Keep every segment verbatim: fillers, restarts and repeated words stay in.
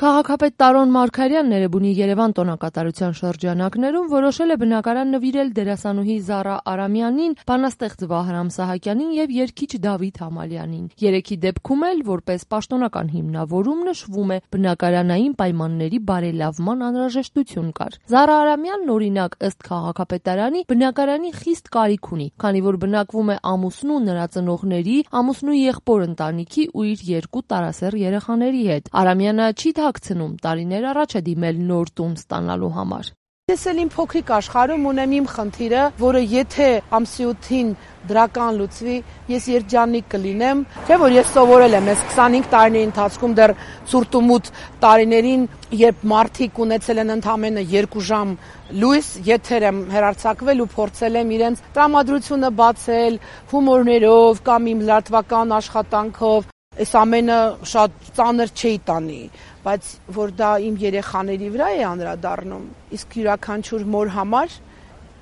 Քաղաքապետ Տարոն Մարգարյանն Էրեբունի Երևան տոնակատարության շրջանակներում որոշել է բնակարան նվիրել դերասանուհի Զարա Արամյանին, բանաստեղծ Վահրամ Սահակյանին եւ երգիչ Դավիթ Համալյանին։ Երեքի դեպքում էլ որպես պաշտոնական հիմնավորում նշվում է բնակարանային պայմանների բարելավման անհրաժեշտություն կար։ Զարա Արամյանն օրինակ ըստ քաղաքապետարանի բնակարանի խիստ կարիք ունի, քանի որ բնակվում է ամուսնու, նրա ծնողների, ամուսնու եղբոր ընտանիքի ու իր երկու տարասեռ երեխաների հետ։ Արամյանը չի թաքցնում, տարիներ առաջ է դիմել նոր տուն ստանալու համար։ Ես էլ իմ փոքրիկ աշխարհում ունեմ իմ խնդիրը, որը եթե ամսիութին դրական լուծվի, ես երջանիկ կլինեմ, թե որ ես սովորել եմ այս քսանհինգ տարիների ընթացքում դեռ ցուրտ ու մութ տարիներին, երբ մարդիկ ունեցել են ընդամենը երկու ժամ լույս, եթեր եմ հեռարձակվել ու փորձել եմ իրենց տրամադրությունը բացել հումորներով կամ իմ լրատվական աշխատանքով, այս ամենը շատ ծանր չէի տանի, բայց որ դա իմ երեխաների վրա է անդրադառնում, իսկ յուրաքանչյուր մոր համար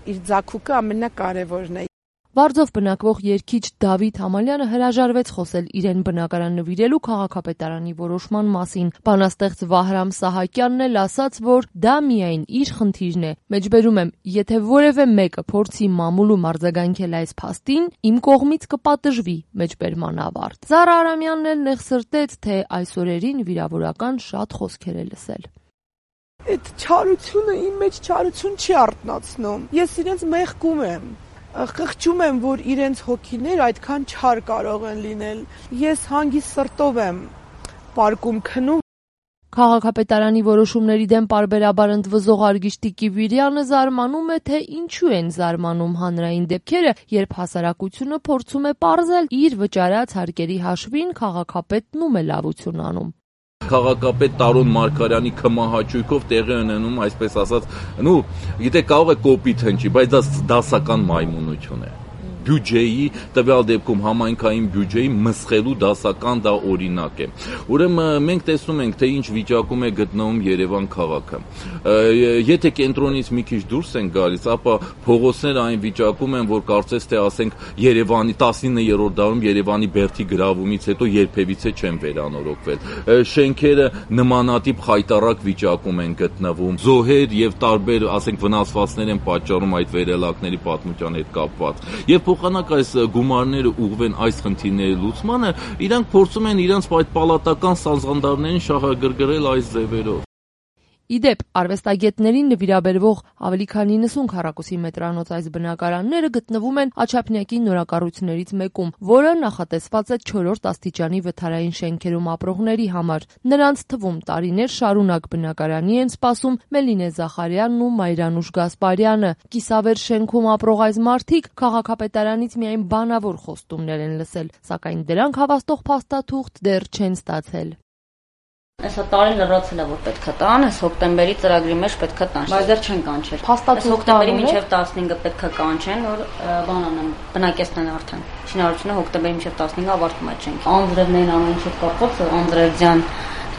իր ձագուկը ամենակարևորն է։ Վարձով բնակվող երգիչ Դավիթ Համալյանը հրաժարվեց խոսել իրեն բնակարան նվիրելու քաղաքապետարանի որոշման մասին։ Բանաստեղծ Վահրամ Սահակյանն էլ ասաց, որ դա միայն իր խնդիրն է։ Մեջբերում եմ, եթե որևէ մեկը փորձի մամուլում արձագանքել այս փաստին, իմ կողմից կպատժվի, մեջբերման ավարտ։ Զարա Արամյանն էլ նեղսրտեց, թե այս օրերին վիրավորական շատ խոսքեր է լսել։ Այդ չարությունը իմ մեջ չարություն չի արտնացնում։ Ես իրենց մեղքում եմ։ Խղճում եմ, որ իրենց հոգիներ այդքան չար կարող են լինել։ Ես հանգիստ սրտով եմ պարկում քնում։ Քաղաքապետարանի որոշումների դեմ պարբերաբար ընդվզող Արգիշտի Կիվիրյանը զարմանում է, թե ինչու են զարմանում հանրային դեպքերը, երբ հասարակությունը փորձում է պարզել իր վճարած հարկերի հաշվին քաղաքապետն ում է լավություն անում։ Քաղաքապետ Տարոն Մարգարյանի քմահաճույքով տեղի ունենում, այսպես ասած, նու, գիտե կարող է կոպիտ հնչի, բայց դա դասական մայմունություն է։ Բյուջեի, տվյալ դեպքում համայնքային բյուջեի մսխելու դասական դա օրինակ է։ Ուրեմն մենք տեսնում ենք, թե ինչ վիճակում է գտնվում Երևան քաղաքը։ Եթե կենտրոնից մի քիչ դուրս են գալիս, ապա փողոցները այն վիճակում են, որ կարծես թե ասենք Երևանի տասիններորդ դարում Երևանի բերդի գրավումից հետո երբևիցե չեն վերանորոգվել։ Շենքերը նմանատիպ խայտառակ վիճակում են գտնվում։ Զոհեր եւ տարբեր, ասենք, վնասվածքներ են պատճառում այդ վերելակների պատմության հետ կապված։ Եվ փոխանակ այս գումարները ուղղվեն այս խնդիրների լուծմանը, իրանք փորձում են իրենց այդ պալատական սազանդարներին շահագրգռել այս ձևերով։ Իդեպ, արվեստագետներին նվիրաբերվող ավելի քան նինսուն քառակուսի մետրանոց այս բնակարանները գտնվում են Աչափնյակի նորակառույցներից մեկում, որը նախատեսված է չորրորդ աստիճանի վթարային շենքերում ապրողների համար։ Նրանց թվում տարիներ շարունակ բնակարանի են սպասում Մելինե Զախարյանն ու Մայրանուշ Գասպարյանը։ Կիսավեր շենքում ապրող այս մարդիկ քաղաքապետարանից միայն բանավոր խոստումներ են լսել, սակայն դրանք հավաստող փաստաթուղթ դեռ չեն ստացել։ Այսա տարին լրացել է, որ պետք է տան, այս հոկտեմբերի ծրագրի մեջ պետք է տան, բայց դեռ չեն կանչել։ Այս հոկտեմբերի մինչև տասնհինգը պետք է կանչեն, որ բան անեն, բնակեցնեն արդեն։ Շինարարությունը հոկտեմբերի մինչև տասնհինգը ավարտվում է շենքը։ Անձրևներն ամեն ինչ կապված, անձրևձյան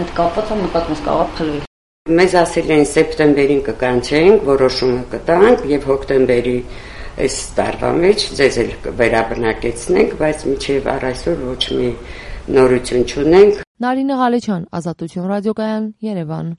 հետ կապված է մտածում կարող փլվի։ Մեզ ասել են սեպտեմբերին կկանչենք, որոշումը կտանք եւ հոկտեմբերի այս տարվա մեջ ձեզ էլ վերաբնակեցնենք, բայց մինչև առայսօր ոչ մի նորություն չունենք։ Նարինե Ղալեչյան, Ազատություն ռադիոկայան, Երևան։